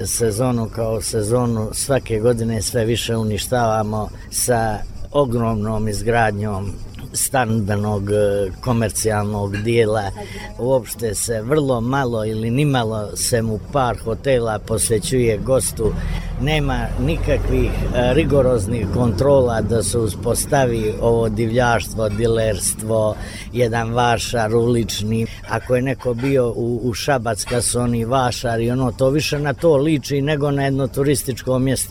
sezonu kao sezonu svake godine sve više uništavamo sa ogromnom izgradnjom stambenog komercijalnog dijela. Uopšte se vrlo malo ili nimalo se mu par hotela posvećuje gostu. Nema nikakvih rigoroznih kontrola da se uspostavi ovo divljaštvo, dilerstvo, jedan vašar ulični. Ako je neko bio u Šabac kad su oni vašari, to više na to liči nego na jedno turističko mjesto.